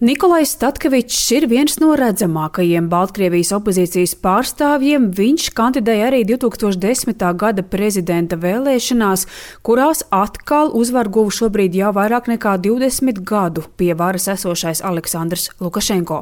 Nikolais Statkevičs ir viens no redzamākajiem Baltkrievijas opozīcijas pārstāvjiem. Viņš kandidēja arī 2010. gada prezidenta vēlēšanās, kurās atkal uzvaru guva šobrīd jau vairāk nekā 20 gadu pie varas esošais Aleksandrs Lukašenko.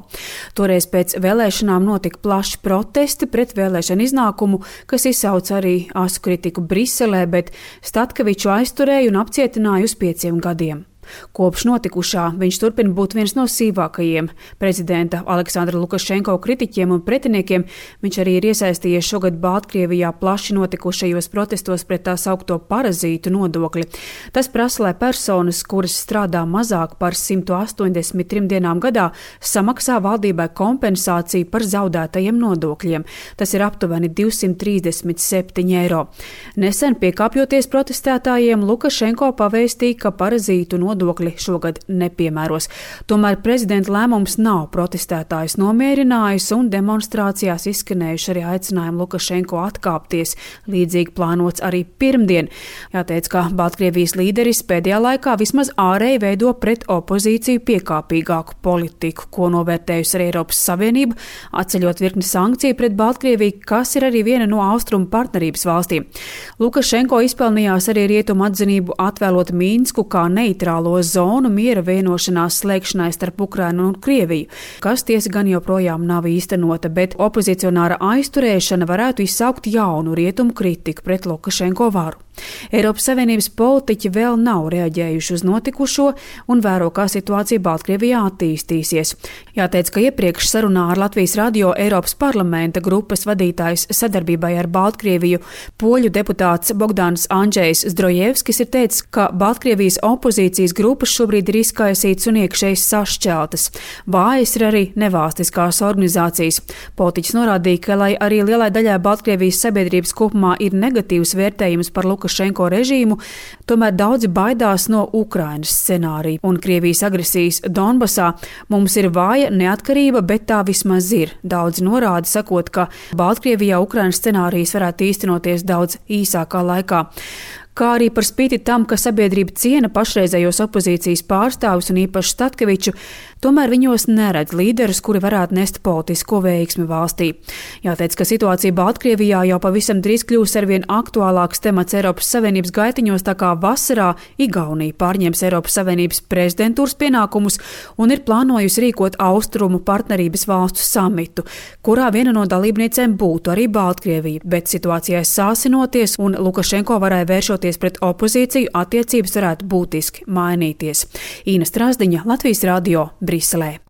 Toreiz pēc vēlēšanām notika plaši protesti pret vēlēšanu iznākumu, kas izsauca arī asu kritiku Briselē, bet Statkeviču aizturēja un apcietināja uz 5 gadiem. Kopš notikušā viņš turpina būt viens no sīvākajiem prezidenta Aleksandra Lukašenko kritiķiem un pretiniekiem. Viņš arī ir iesaistījies šogad Baltkrievijā plaši notikušajos protestos pret tā saukto parazītu nodokli. Tas prasa, lai personas, kuras strādā mazāk par 183 dienām gadā, samaksā valdībai kompensāciju par zaudētajiem nodokļiem. Tas ir aptuveni 237 eiro. Nesen piekāpjoties protestētājiem, Lukašenko pavēstīja, ka parazītu nodokli šogad nepiemēros. Tomēr prezidenta lēmums nav protestētājus nomierinājis un demonstrācijās izskanējuši arī aicinājumi Lukašenko atkāpties, līdzīgi plānots arī pirmdien. Jāteic, ka Baltkrievijas līderis pēdējā laikā vismaz ārēji veido pret opozīciju piekāpīgāku politiku, ko novērtējusi arī Eiropas Savienība, atceļot virkni sankciju pret Baltkrieviju, kas ir arī viena no austrumu partnerības valstīm. Lukašenko izpelnījās arī rietumu atzinību atvēlot Mīnsku kā neitrālo zonu miera vienošanās slēgšanai starp Ukrainu un Krieviju, kas tiesa gan joprojām nav īstenota, bet opozicionāra aizturēšana varētu izsaukt jaunu rietumu kritiku pret Lukašenko varu. Eiropas Savienības politiķi vēl nav reaģējuši uz notikušo un vēro, kā situācija Baltkrievijā attīstīsies. Jāteic, ka iepriekš sarunā ar Latvijas radio Eiropas parlamenta grupas vadītājs sadarbībai ar Baltkrieviju poļu deputāts Bogdans Andžejs Zdrojevskis ir teicis, ka Baltkrievijas opozīcijas grupas šobrīd ir izkaisītas un iekšēji sašķeltas. Vājas ir arī nevalstiskās organizācijas. Politiķis norādīja, ka, lai arī lielai daļai Baltkrievijas sabiedrības kopumā ir negatīvs vērtējums par Lukašenko režīmu, tomēr daudzi baidās no Ukrainas scenārija un Krievijas agresijas Donbasā. Mums ir vāja neatkarība, bet tā vismaz ir. Daudzi norāda, sakot, ka Baltkrievijā Ukrainas scenārijs varētu īstenoties daudz īsākā laikā. Kā arī par spīti tam, ka sabiedrība ciena pašreizējos opozīcijas pārstāvus un īpaši Statkeviču, tomēr viņos neredz līderus, kuri varētu nest politisko veiksmi valstī. Jāteic, ka situācija Baltkrievijā jau pavisam drīz kļūs arvien aktuālāks temats Eiropas Savienības gaitiņos, tā kā vasarā Igaunija pārņems Eiropas Savienības prezidentūras pienākumus un ir plānojusi rīkot austrumu partnerības valstu samitu, kurā viena no dalībniecēm būtu arī Baltkrievija, bet situācijai sāsinoties un Lukašenko varai vēršoties pret opozīciju, attiecības varētu būtiski mainīties. Īna Strasdiņa, Latvijas radio, Briselē.